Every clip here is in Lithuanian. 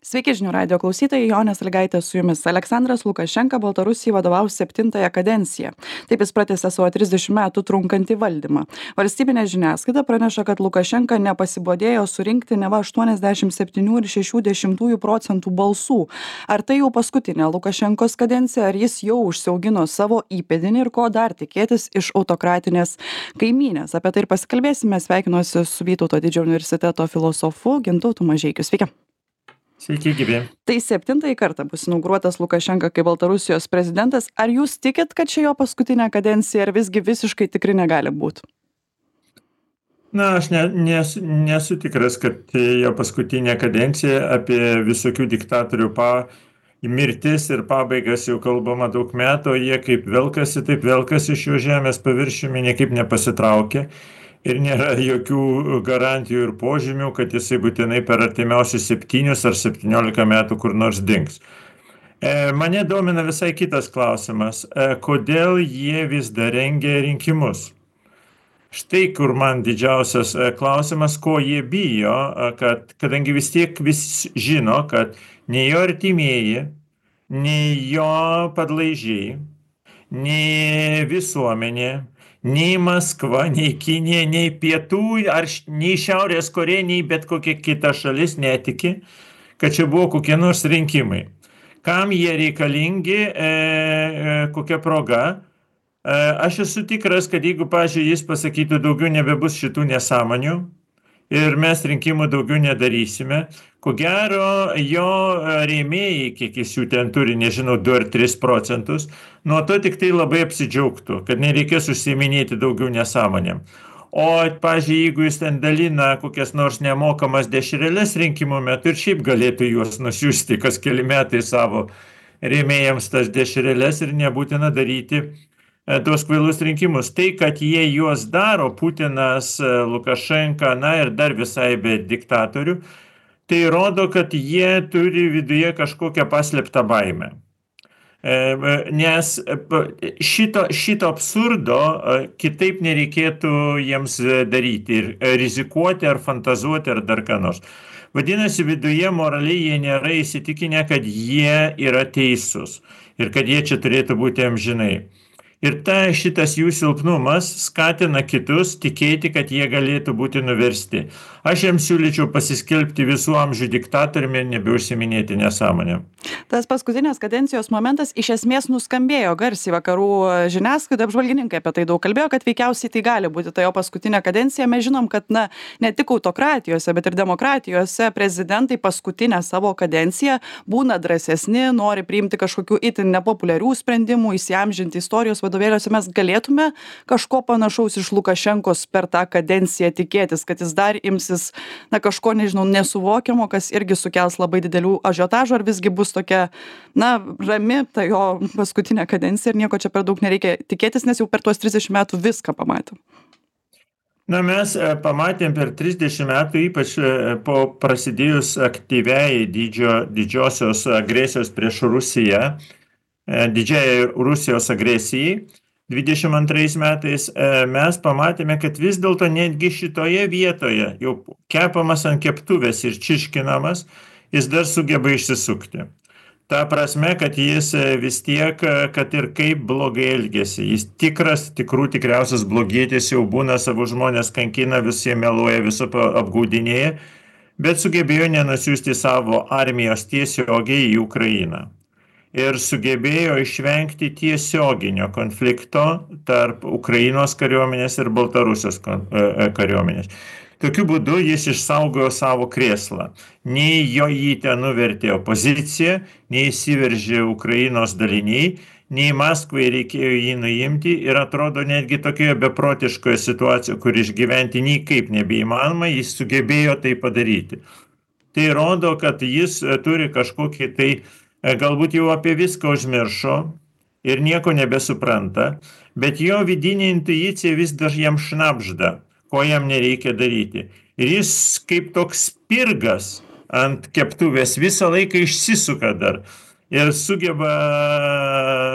Sveiki žinių radio klausytojai, Jonė Sąlygaitė su jumis. Aleksandras Lukašenka Baltarusijai vadovaus 7-ąją kadenciją. Taip jis pratęsė savo 30 metų trunkantį valdymą. Valstybinė žiniasklaida praneša, kad Lukašenka nepasibodėjo surinkti neva 87,6% balsų. Ar tai jau paskutinė Lukašenkos kadencija, ar jis jau užsiaugino savo įpėdinį ir ko dar tikėtis iš autokratinės kaimynės? Apie tai ir pasikalbėsime. Sveikinuosi su Vytauto didžiojo universiteto filosofu Gintautu Mažeikiu. Sveiki. Sveiki, gyvi. Tai 7-ąjį kartą bus inauguruotas Lukašenka kaip Baltarusijos prezidentas. Ar jūs tikit, kad čia jo paskutinė kadencija, ar visgi visiškai tikri negali būti? Na, aš nesu tikras, kad jo paskutinė kadencija. Apie visokių diktatorių mirtis ir pabaigas jau kalbama daug metų. Jie kaip velkasi, taip velkasi iš jo žemės paviršiumi, niekaip nepasitraukia. Ir nėra jokių garantijų ir požymių, kad jisai būtinai per artimiausius 7 ar 17 metų kur nors dings. Mane domina visai kitas klausimas. Kodėl jie vis dar rengia rinkimus? Štai kur man didžiausias klausimas, ko jie bijo, kadangi vis tiek visi žino, kad nei jo artimieji, nei jo padlaižiai, nei visuomenė, nei Maskva, nei Kinija, nei Pietų, nei Šiaurės Korėja, nei bet kokia kita šalis netiki, kad čia buvo kokie nors rinkimai. Kam jie reikalingi, kokia proga? Aš esu tikras, kad jeigu, pavyzdžiui, jis pasakytų daugiau nebebus šitų nesąmonių ir mes rinkimų daugiau nedarysime, ko gero jo rėmėjai, kiek jis jų ten turi, nežinau, 2 ar 3%, nuo to tik tai labai apsidžiaugtų, kad nereikės užsiiminėti daugiau nesąmonėm. O, pavyzdžiui, jeigu jis ten dalina kokias nors nemokamas dešreles rinkimų metu ir šiaip galėtų juos nusiųsti kas keli metai savo rėmėjams tas dešreles ir nebūtina daryti tuos kvailus rinkimus. Tai, kad jie juos daro, Putinas, Lukašenka, na ir dar visai be diktatorių, tai rodo, kad jie turi viduje kažkokią paslėptą baimę. Nes šito absurdo kitaip nereikėtų jiems daryti ir rizikuoti ar fantazuoti ar dar ką nors. Vadinasi, viduje moraliai jie nėra įsitikinę, kad jie yra teisūs ir kad jie čia turėtų būti amžinai. Ir šitas jų silpnumas skatina kitus tikėti, kad jie galėtų būti nuversti. Aš jiems siūlyčiau pasiskelbti visų amžių diktatoriumi ir nebeužsiminėti nesąmonę. Tas paskutinės kadencijos momentas iš esmės nuskambėjo garsiai vakarų žiniasklaida, apžvalgininkai apie tai daug kalbėjo, kad veikiausiai tai gali būti ta jo paskutinė kadencija. Mes žinom, kad ne tik autokratijose, bet ir demokratijose prezidentai paskutinę savo kadenciją būna drąsesni, nori priimti kažkokių itin nepopuliarių sprendimų, įsiamžinti istorijos vadovėliuose. Mes galėtume kažko panašaus iš Lukašenkos per tą kadenciją tikėtis, kad jis dar imsis kažko, nežinau, nesuvokiamo, kas irgi sukels labai didelių ažiotažų, ar visgi bus tokia, rami ta jo paskutinė kadencija ir nieko čia per daug nereikia tikėtis, nes jau per tuos 30 metų viską pamatėm. Mes pamatėm per 30 metų, ypač po prasidėjus aktyviai didžiosios agresijos prieš Rusiją, didžiai Rusijos agresijai, 22 metais mes pamatėme, kad vis dėlto netgi šitoje vietoje, jau kepamas ant keptuvės ir čiškinamas, jis dar sugeba išsisukti. Ta prasme, kad jis vis tiek, kad ir kaip blogai elgėsi. Jis tikriausias blogietis jau būna, savo žmonės kankina, visi meluoja, viso apgaudinėja, bet sugebėjo nenusiųsti savo armijos tiesiogiai į Ukrainą. Ir sugebėjo išvengti tiesioginio konflikto tarp Ukrainos kariuomenės ir Baltarusijos kariuomenės. Tokiu būdu jis išsaugojo savo krėslą. Nei jį ten nuvertė opozicija, nei įsiveržė Ukrainos daliniai, nei Maskvai reikėjo jį nuimti ir atrodo netgi tokioje beprotiškoje situacijoje, kur išgyventi niekaip nebeįmanoma, jis sugebėjo tai padaryti. Tai rodo, kad jis turi kažkokį tai galbūt jau apie viską užmiršo ir nieko nebesupranta, bet jo vidinė intuicija vis dar jam šnabžda, ko jam nereikia daryti. Ir jis kaip toks spirgas ant keptuvės visą laiką išsisuka dar ir sugeba,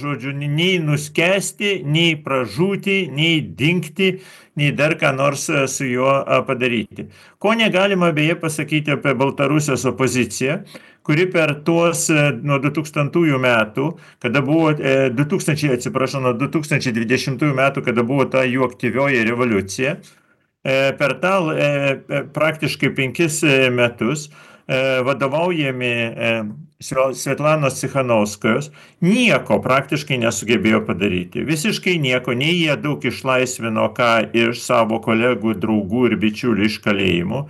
žodžiu, nei nuskesti, nei pražūti, nei dingti, nei dar ką nors su juo padaryti. Ko negalima beje pasakyti apie Baltarusijos opoziciją, kuri per tuos nuo 2000 metų, kada buvo 2000, atsiprašau, nuo 2020 metų, kada buvo ta jų aktyvioji revoliucija, per tą praktiškai 5 metus vadovaujami Svetlanos Cichanouskajos nieko praktiškai nesugebėjo padaryti. Visiškai nieko, nei jie daug išlaisvino ką iš savo kolegų, draugų ir bičiulių iš kalėjimų,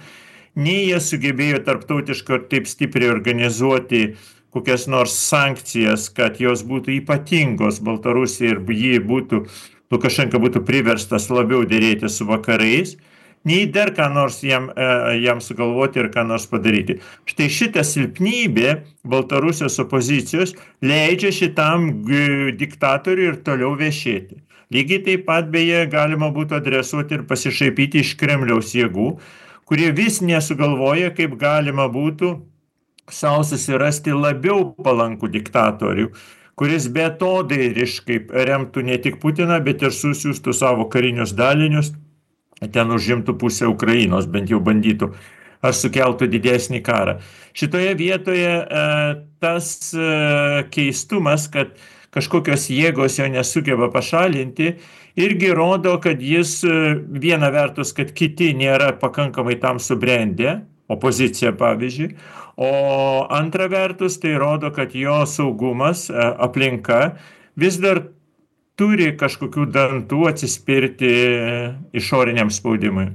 nei jie sugebėjo tarptautiškai taip stipriai organizuoti kokias nors sankcijas, kad jos būtų ypatingos Baltarusijai ir Lukašenka būtų priverstas labiau dėrėti su vakarais, nei dar ką nors jam sugalvoti ir ką nors padaryti. Štai šitą silpnybę Baltarusijos opozicijos leidžia šitam diktatoriui ir toliau viešėti. Lygiai taip pat beje galima būtų adresuoti ir pasišaipyti iš Kremliaus jėgų, kurie vis nesugalvoja, kaip galima būtų savo susirasti labiau palankų diktatorių, kuris beatodairiškai remtų ne tik Putiną, bet ir susiųstų savo karinius dalinius, ten užimtų pusę Ukrainos, bent jau bandytų, ar sukeltų didesnį karą. Šitoje vietoje tas keistumas, kad kažkokios jėgos jo nesugeba pašalinti, irgi rodo, kad jis viena vertus, kad kiti nėra pakankamai tam subrendę, opozicija pavyzdžiui, o antra vertus tai rodo, kad jo saugumas, aplinka vis dar turi kažkokių dantų atsispirti išoriniam spaudimui.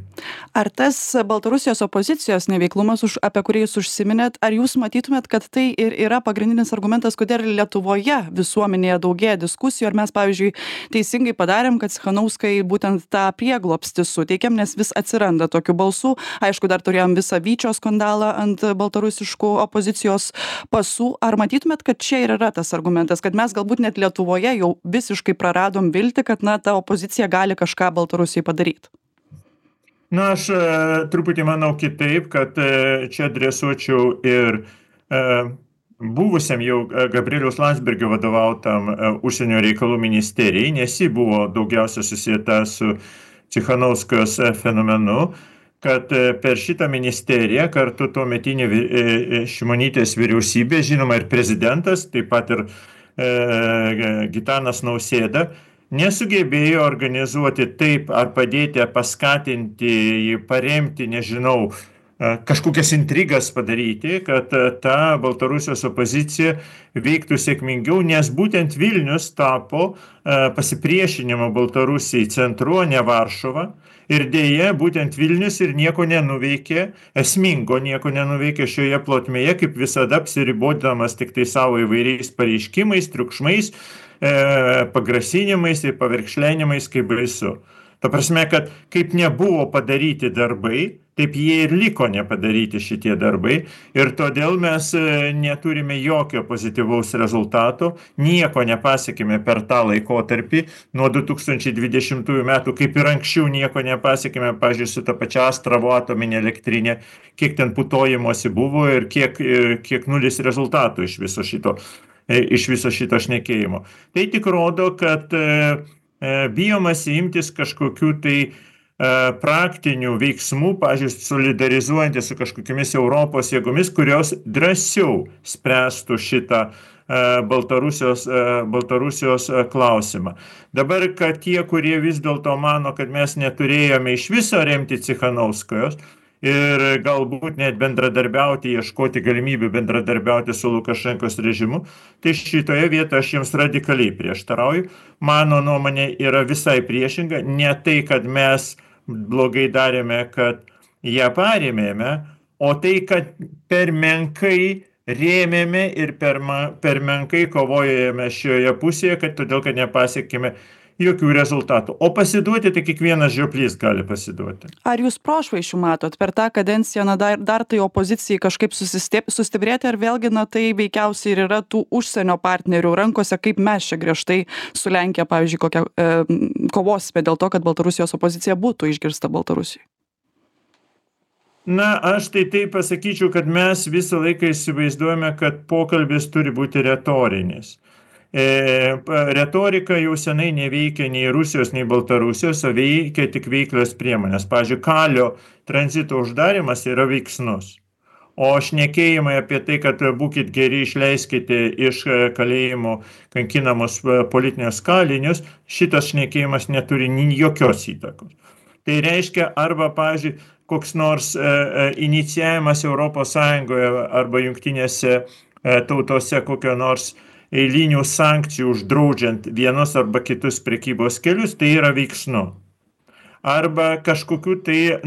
Ar tas Baltarusijos opozicijos neveiklumas, apie kurį jūs užsiminėt, ar jūs matytumėt, kad tai ir yra pagrindinis argumentas, kodėl Lietuvoje visuomenėje daugėja diskusijų, ar mes, pavyzdžiui, teisingai padarėm, kad Cichanouskai būtent tą prieglobstį suteikėm, nes vis atsiranda tokių balsų. Aišku, dar turėjom visą Vyčio skandalą ant baltarusiškų opozicijos pasų. Ar matytumėt, kad čia ir yra tas argumentas, kad mes galbūt net Lietuvoje jau visiškai praradom viltį, kad ta opozicija gali kažką Baltarusijai padaryti? Na, aš truputį manau kitaip, kad čia adresuočiau ir buvusiam jau Gabrieliaus Landsbergio vadovautam užsienio reikalų ministerijai, nes ji buvo daugiausia susieta su Cichanouskajos fenomenu, kad per šitą ministeriją kartu tuometinė Šimonytės vyriausybė, žinoma ir prezidentas, taip pat ir Gitanas Nausėda, nesugebėjo organizuoti taip ar padėti, ar paskatinti, paremti, nežinau, kažkokias intrigas padaryti, kad ta Baltarusijos opozicija veiktų sėkmingiau, nes būtent Vilnius tapo pasipriešinimo Baltarusijai centru, o ne Varšuva. Ir dėja, būtent Vilnius ir nieko nenuveikė, esmingo nieko nenuveikė šioje plotmėje, kaip visada apsiribodamas tik tai savo įvairiais pareiškimais, triukšmais, pagrasinimais ir paverkšlenimais, kaip baisu. Ta prasme, kad kaip nebuvo padaryti darbai, taip jie ir liko nepadaryti šitie darbai. Ir todėl mes neturime jokio pozityvaus rezultato, nieko nepasiekime per tą laikotarpį, nuo 2020 metų, kaip ir anksčiau nieko nepasiekime, pavyzdžiui, su ta pačia Astravo atominė elektrinė, kiek ten putojimosi buvo ir kiek nulis rezultatų iš viso šito šnekėjimo. Tai tik rodo, kad bijomasi imtis kažkokių tai praktinių veiksmų, pavyzdžiui, solidarizuojantis su kažkokiamis Europos jėgomis, kurios drąsiau spręstų šitą Baltarusijos klausimą. Dabar, kad tie, kurie vis dėlto mano, kad mes neturėjome iš viso remti Cichanouskajos ir galbūt net bendradarbiauti, ieškoti galimybių bendradarbiauti su Lukašenkos režimu, tai šitoje vietoje aš jiems radikaliai prieštarauju. Mano nuomonė yra visai priešinga, ne tai, kad mes blogai darėme, kad ją parėmėme, o tai, kad per menkai rėmėme ir per menkai kovojame šioje pusėje, todėl, kad nepasiekėme jokių rezultatų. O pasiduoti, tai kiekvienas žioplys gali pasiduoti. Ar jūs prošvaisčių matot per tą kadenciją, dar tai opozicijai kažkaip sustiprėti, ar vėlgi, tai veikiausiai ir yra tų užsienio partnerių rankose, kaip mes čia griežtai su Lenkija, pavyzdžiui, kokią kovosime dėl to, kad Baltarusijos opozicija būtų išgirsta Baltarusijai? Na, aš tai taip pasakyčiau, kad mes visą laiką įsivaizduojame, kad pokalbis turi būti retorinis. Retorika jau senai neveikia nei Rusijos, nei Baltarusijos, o veikia tik veiklios priemonės. Pavyzdžiui, kalio tranzito uždarimas yra veiksnus. O šnekėjimai apie tai, kad būkit geri, išleiskite iš kalėjimų kankinamus politinius kalinius, šitas šnekėjimas neturi jokios įtakos. Tai reiškia arba, pavyzdžiui, koks nors inicijavimas Europos Sąjungoje arba jungtinėse tautose kokio nors eilinių sankcijų uždraudžiant vienus arba kitus prekybos kelius, tai yra veiksnu. Arba kažkokių tai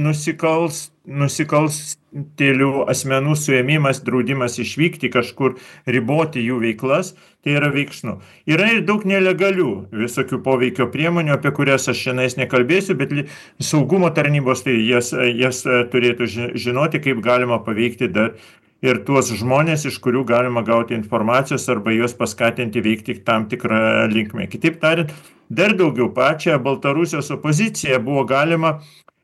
nusikalstėlių asmenų suėmimas, draudimas išvykti kažkur, riboti jų veiklas, tai yra veiksnu. Yra ir daug nelegalių visokių poveikio priemonių, apie kurias aš šiandien nekalbėsiu, bet saugumo tarnybos tai jas turėtų žinoti, kaip galima paveikti dar ir tuos žmonės, iš kurių galima gauti informacijos arba juos paskatinti veikti tam tikrą linkmę. Kitaip tariant, dar daugiau pačią Baltarusijos opoziciją buvo galima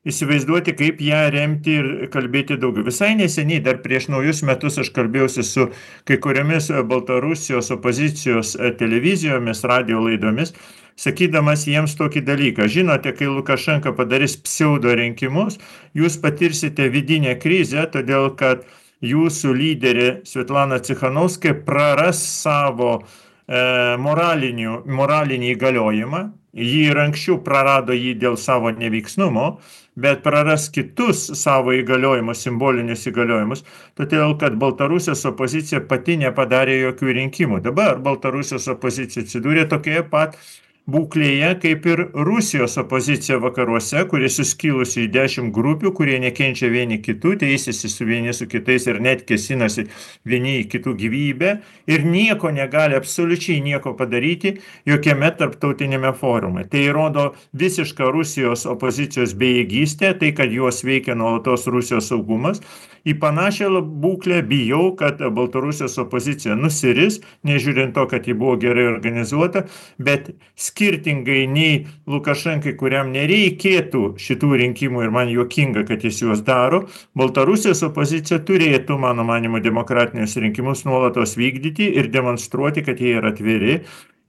įsivaizduoti, kaip ją remti ir kalbėti daugiau. Visai neseniai, dar prieš naujus metus, aš kalbėjausi su kai kuriomis Baltarusijos opozicijos televizijomis, radio laidomis, sakydamas jiems tokį dalyką. Žinote, kai Lukašenka padarys pseudo rinkimus, jūs patirsite vidinę krizę, todėl kad jūsų lyderė Svetlana Tsikhanovskaja praras savo moralinį įgaliojimą. Ji ir anksčiau prarado jį dėl savo neveiksnumo, bet praras kitus savo įgaliojimus, simbolinius įgaliojimus, todėl kad Baltarusijos opozicija pati nepadarė jokių rinkimų. Dabar Baltarusijos opozicija atsidūrė tokioje pat būklėje kaip ir Rusijos opozicija vakaruose, kuri suskilusi į 10 grupių, kurie nekenčia vieni kitų, teisėsi su vieni su kitais ir net kėsinasi vieni į kitų gyvybę ir nieko negali, absoliučiai nieko padaryti jokiame tarptautinėme forume. Tai rodo visišką Rusijos opozicijos bejėgystę, tai kad juos veikia nuolatos Rusijos saugumas. Į panašią būklę bijau, kad Baltarusijos opozicija nusiris, nežiūrint to, kad ji buvo gerai organizuota, bet skirtingai nei Lukašenkai, kuriam nereikėtų šitų rinkimų ir man juokinga, kad jis juos daro, Baltarusijos opozicija turėtų, mano manymu, demokratinius rinkimus nuolatos vykdyti ir demonstruoti, kad jie yra atviri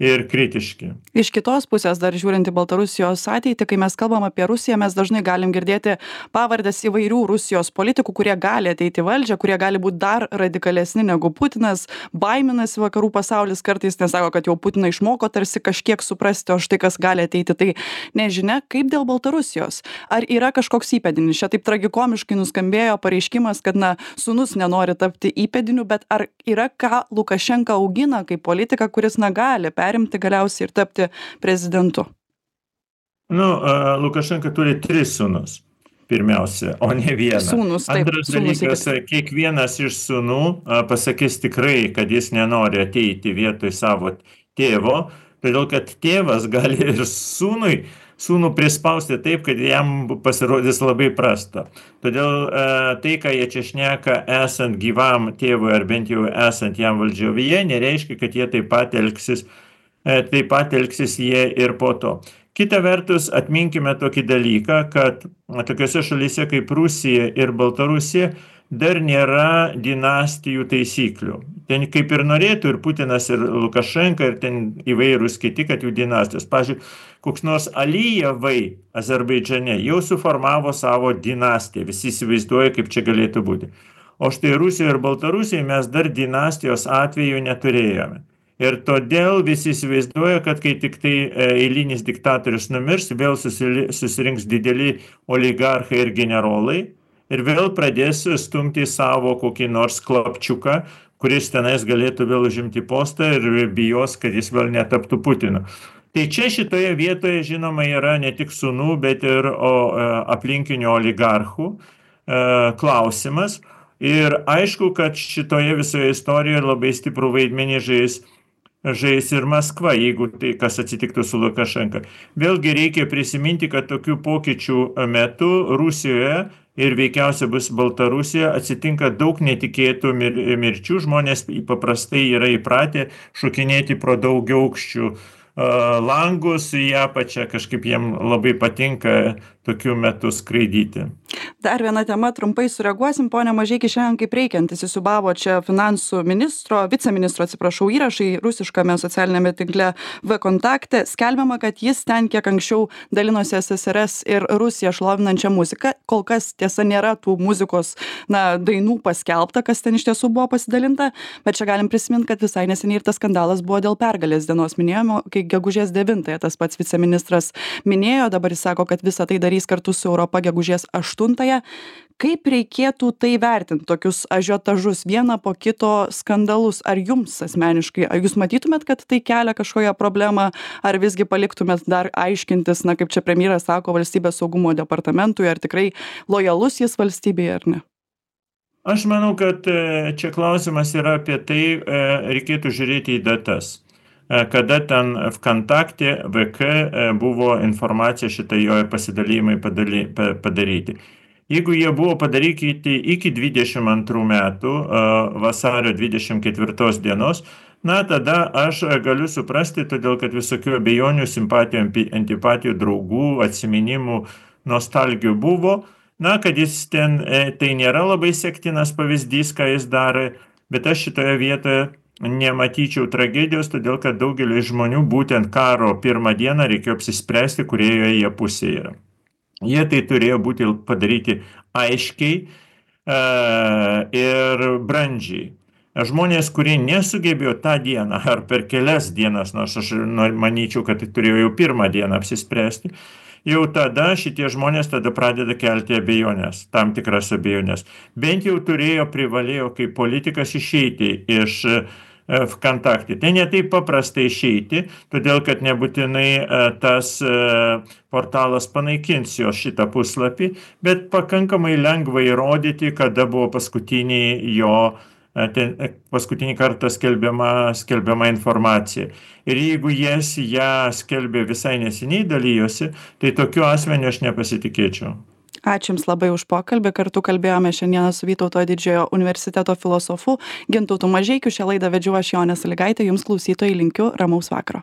ir kritiški. Iš kitos pusės, dar žiūrint į Baltarusijos ateitį, kai mes kalbam apie Rusiją, mes dažnai galim girdėti pavardes įvairių Rusijos politikų, kurie gali ateiti į valdžią, kurie gali būti dar radikalesni negu Putinas, baiminasi vakarų pasaulis kartais, nes sako, kad jau Putiną išmoko tarsi kažkiek suprasti, o štai kas gali ateiti. Tai nežinia, kaip dėl Baltarusijos. Ar yra kažkoks įpėdinis? Čia taip tragikomiškai nuskambėjo pareiškimas, kad sūnus nenori tapti įpėdiniu, bet ar yra ką Lukašenka augina kaip politika, kuris gali perimti galiausiai ir tapti prezidentu? Lukašenka turi 3 sūnus, pirmiausia, o ne vieną. Sūnus, taip. Antras dalykas, kiekvienas iš sūnų pasakys tikrai, kad jis nenori ateiti vietoj savo tėvo, todėl kad tėvas gali ir sūnų prispausti taip, kad jam pasirodys labai prasta. Todėl tai, ką jie čia šneka esant gyvam tėvui ar bent jau esant jam valdžioje, nereiškia, kad jie taip pat elgsis jie ir po to. Kita vertus, atminkime tokį dalyką, kad tokiose šalyse kaip Rusija ir Baltarusija dar nėra dinastijų taisyklių. Ten kaip ir norėtų ir Putinas, ir Lukašenka, ir ten įvairūs kiti, kad jų dinastijos. Pavyzdžiui, koks nors Alijevai Azerbaidžane jau suformavo savo dinastiją. Visi įsivaizduoja, kaip čia galėtų būti. O štai Rusijoje ir Baltarusijoje mes dar dinastijos atveju neturėjome. Ir todėl visi įsivaizduoja, kad kai tik tai eilinis diktatorius numirs, vėl susirinks dideli oligarchai ir generolai ir vėl pradės stumti savo kokį nors klapčiuką, kuris tenais galėtų vėl užimti postą ir bijos, kad jis vėl netaptų Putinu. Tai čia šitoje vietoje, žinoma, yra ne tik sūnų, bet ir aplinkinių oligarchų klausimas. Ir aišku, kad šitoje visoje istorijoje labai stiprų vaidmenį žais ir Maskva, jeigu tai kas atsitiktų su Lukašenka. Vėlgi reikia prisiminti, kad tokių pokyčių metu Rusijoje ir veikiausiai bus Baltarusijoje atsitinka daug netikėtų mirčių. Žmonės paprastai yra įpratę šokinėti pro daugiaaukščių langus į apačią, kažkaip jiem labai patinka tokiu metu skraidyti. Dar viena tema, trumpai sureaguosim. Pone Mažeiki, šiandien kaip reikiantis įsiūbavo čia finansų viceministro, įrašai rusiškame socialinėme tinkle V-kontakte. Skelbiama, kad jis ten kiek anksčiau dalinosi SSRS ir Rusiją šlovinančią muziką. Kol kas tiesa nėra tų muzikos dainų paskelbta, kas ten iš tiesų buvo pasidalinta, bet čia galim prisiminti, kad visai neseniai ir tas skandalas buvo dėl pergalės dienos minėjimo, kai gegužės 9-ąją tas pats viceministras minėjo, dabar jis sako, kad visą tai darys kartu su Europa gegužės 8-ąją. Kaip reikėtų tai vertinti, tokius ažiotažus, vieną po kito skandalus? Ar jums asmeniškai, ar jūs matytumėt, kad tai kelia kažkokią problemą, ar visgi paliktumėt dar aiškintis, kaip čia premjeras sako, valstybės saugumo departamentui, ar tikrai lojalus jis valstybėje ar ne? Aš manau, kad čia klausimas yra apie tai, reikėtų žiūrėti į datas. Kada ten VKontakte, VK buvo informacija šitai jo pasidalymai padaryti. Jeigu jie buvo padaryti iki 22 metų vasario 24 dienos, tada aš galiu suprasti, todėl kad visokių abejonių, simpatijų, antipatijų, draugų, atsiminimų, nostalgijų buvo, kad jis ten, tai nėra labai sektinas pavyzdys, ką jis darė, bet aš šitoje vietoje nematyčiau tragedijos, todėl kad daugelį žmonių būtent karo pirmą dieną reikėjo apsispręsti, kurioje jie pusėje yra. Jie tai turėjo būti padaryti aiškiai ir brandžiai. Žmonės, kurie nesugebėjo tą dieną ar per kelias dienas, nors aš manyčiau, kad tai turėjo jau pirmą dieną apsispręsti, jau tada šitie žmonės tada pradeda kelti abejonės, tam tikras abejonės. Bent jau privalėjo kaip politikas išeiti iš VKontakte. Tai ne taip paprastai išeiti, todėl kad nebūtinai tas portalas panaikins jo šitą puslapį, bet pakankamai lengva įrodyti, kada buvo paskutinį kartą skelbiama informacija. Ir jeigu ją skelbė visai neseniai dalyjosi, tai tokiu asmeniu aš nepasitikėčiau. Ačiū Jums labai už pokalbį. Kartu kalbėjome šiandieną su Vytauto didžiojo universiteto filosofu Gintautu Mažeikiu. Šią laidą vedžiau aš, Jonė Sąlygaitė. Jums klausytojai linkiu ramaus vakaro.